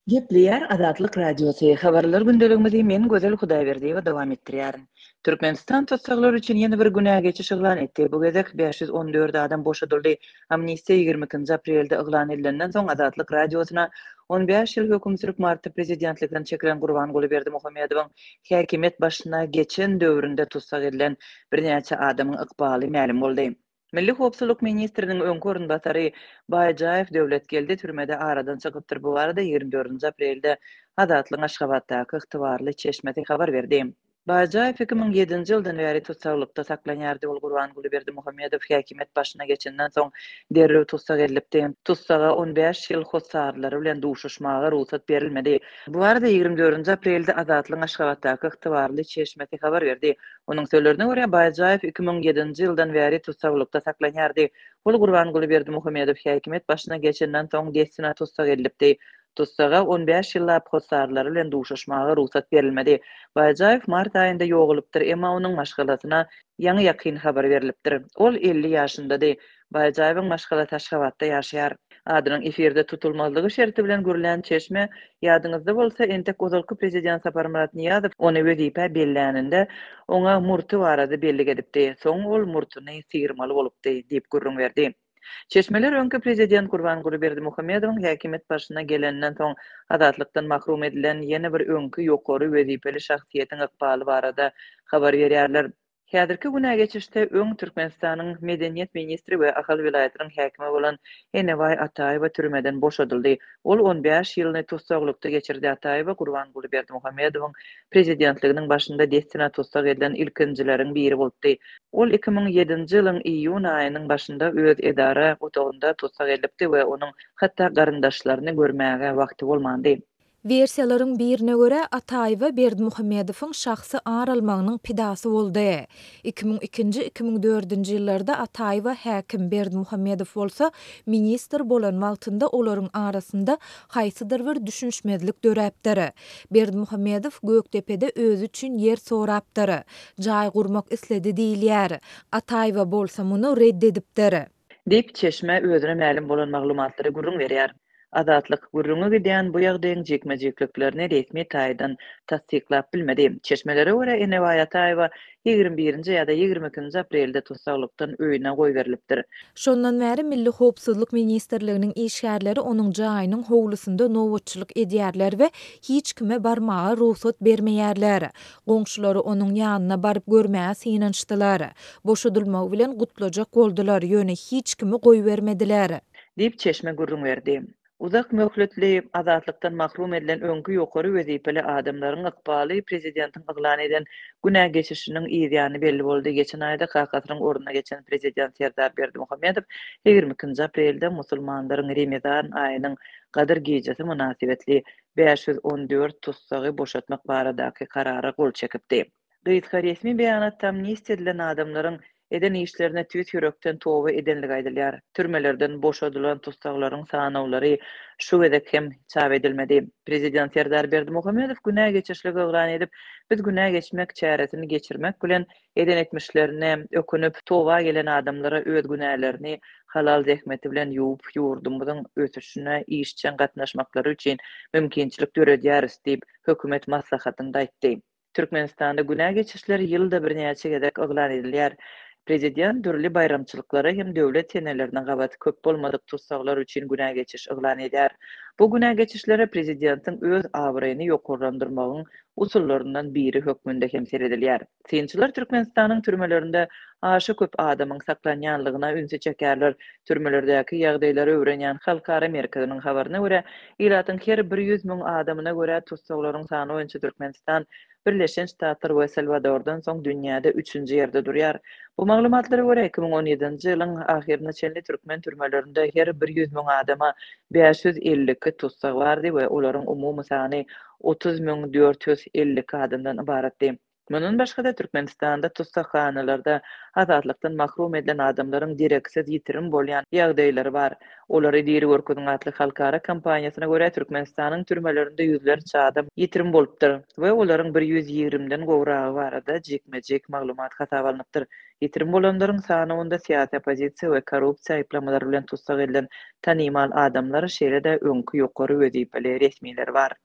Gepleýär Azatlyk Radiosy, Habarlar gündeligimizi men Gözel Hudaýberdiýewa dowam etdirýärin. Türkmenistan tussaglar üçin ýene bir günä geçiş yglan etdi. Bu gezek 514 adam boşadyldy. Amnistiýa 22-nji aprelde yglan edilenden soň Azatlyk Radiosyna 15 ýyl höküm sürüp martda prezidentlikden çekilen Gurbanguly Berdimuhamedowyň häkimiýet başyna geçen döwründe tussag edilen birnäçe adamyň ykbaly mälim boldy. Milli howpsuzlyk ministriniň öňki orunbasary Baýjaýew Döwletgeldi türmede aradan çykypdyr. Bu barada 24-nji aprelde Azatlygyň Aşgabatdaky ygtybarly çeşmesi habar berdi. Baýjaýew 2007-nji ýyldan bäri tussaglykda saklanýardy. Ol Gurbanguly Berdimuhamedow häkimiýet başyna geçenden soň derrew tussag edilipdi. Tussaga 15 ýyl hossarlary bilen duşuşmaga rugsat berilmedi. Bu barada 24-nji aprelde Azatlygyň Aşgabatdaky ygtybarly çeşmesi habar berdi. Onuň sözlerine görä, Baýjaýew 2007-nji ýyldan bäri tussaglykda saklanýardy. Ol Gurbanguly Berdimuhamedow häkimiýet başyna geçenden soň dessine tussag edilipdi. Tussaga 15 ýyllap hossarlary bilen duşuşmaga rugsat berilmedi. Baýjaýew mart aýynda ýogalypdyr, emma onuň maşgalasyna ýaňy-ýakyn habar berlipdir. Ol 50 ýaşyndady. Baýjaýewiň maşgalasy Aşgabatda ýaşaýar. Adynyň efirde tutulmazlygy şerti bilen gürlän çeşme, Ýadyňyzda bolsa, entek ozalky prezident Saparmyrat Nyýazow ony wezipä belläninde, oňa murty barada bellik edipdi. Soň ol murtuny syrmaly bolupdy, diýip gürrüň berdi. Çeşmeler öňki prezident Gurbanguly Berdimuhamedowyň häkimiýet başyna geleninden soň azatlykdan mahrum edilen ýene bir öňki ýokary wezipeli şahsyýetiň ykbaly barada habar berýärler. Häzirki günä geçişde öň Türkmenistanyň medeniýet ministri we Ahal welaýatynyň häkimi bolan Enebaý Ataýewa türmeden boşadyldy. Ol 15 ýylyny tussaglykda geçirdi. Ataýewa Gurbanguly Berdimuhamedowyň prezidentliginiň başynda dessine tussag edilen ilkinjileriň biri bolupdy. Ol 2007-nji ýylyň iýun aýynyň başynda öz edara otagynda tussag edilipdi we onuň hatda garyndaşlaryny görmäge wagty bolmandy. Wersiýalaryň birine görä, Ataýewa Berdimuhamedowyň şahsy ar almagynyň pidasy boldy. 2002-nji, 2004-nji ýyllarda Ataýewa häkim, Berdimuhamedow bolsa ministr bolan wagtynda olaryň arasynda haýsydyr bir düşünişmezlik döräpdir. Berdimuhamedow Gökdepede özi üçin ýer sorapdyr. Jaý gurmak isledi diýilýär. Ataýewa bolsa muny ret edipdir. Diýip, çeşme özüne mälim bolan maglumatlary gürrüň berýär. Azatlyk gürrüňi gidýän bu ýagdaýyň jikme-jikliklerini resmi taýdan tassyklap bilmedi. Çeşmelere görä, Enebaý Ataýewa 21-nji ýa-da 22-nji aprelde tussaglykdan öýüne goýberilipdir. Şondan bäri Milli howpsuzlyk ministrliginiň işgärleri onuň jaýynyň howlusynda nobatçylyk edýärler we hiç kime barmaga rugsat bermeýärler. Goňşulary onuň ýanyna baryp görmäge synanyşdylar. Boşadylmagy bilen gutlajak boldular, ýöne hiç kimi goýbermediler. Diýip, çeşme gürrüň berdi. Uzak möhletli azatlykdan mahrum edilen öňki ýokary wezipeli adamlaryň ykbaly prezidentiň yglan eden günä geçişiniň yzýany belli boldy. Geçen aýda kakasynyň ornuna geçen prezident Serdar Berdimuhamedow 22-nji aprelde musulmanlaryň Remezan aýynyň Gadyr gijesi mynasybetli 514 tussagy boşatmak baradaky karara gol çekipdi. Gysga resmi beýanatda amnistiýa edilen adamlaryň eden işlerine tüýs ýürekden toba edenligi aýdylýar. Türmelerden boşadylan tussaglaryň sanawlary şu gezek hem çap edilmedi. Prezident Serdar Berdimuhamedow günä geçişligi yglan edip, biz günä geçmek çäresini geçirmek bilen eden etmişlerine ökünip, toba gelen adamlara öz günälerini halal zähmeti bilen ýuwup, ýurdumyzyň ösüşine işjeň gatnaşmaklary üçin mümkinçilik döredýäris diýip, hökümet maslahatynda aýtdy. Türkmenistanda günä geçişler ýylda birnäçe gezek yglan edilýär. Prezident dürli baýramçylyklara hem döwlet senelerine gabat köp bolmadyk tussaglar üçin günä geçiş yglan edýär. Bu günä geçişlere prezidentiň öz abraýyny ýokarlandyrmagyň usullaryndan biri hökmünde hem seredilýär. Synçylar Türkmenistanyň türmelerinde aşa köp adamyň saklanýanlygyna ünsi çekýärler. Türmelerdäki ýagdaýlary öwrenýän halkara merkeziniň habaryna görä, ilatyň her bir 100 müň adamyna görä tussaglaryň sany boýunça Türkmenistan Birleşen Ştatlar we Salwadordan soň dünýäde üçünji ýerde durýar. Bu maglumatlara görä, 2017-nji ýylyň ahyryna çenli türkmen türmelerinde her bir 100 müň adama 552 tussag bardy we olaryň umumy sany 30 452 adamdan ybaratdy. Mundan başga-da, Türkmenistanda tussaghanalarda azatlykdan mahrum edilen adamlaryň dereksiz ýitirim bolýan ýagdaýlary bar. Olary diri görkeziň atly halkara kampaniýasyna görä, Türkmenistanyň türmelerinde ýüzlerçe adam ýitirim bolupdyr we olaryň bir 120-den gowragy barada jikme-jik maglumat hasaba alnypdyr. Ýitirim bolanlaryň sanawynda syýasy oppozisiýa we korrupsiýa aýyplamalary bilen tussag edilen tanymal adamlar, şeýle-de öňki ýokary wezipeli resmiler bar.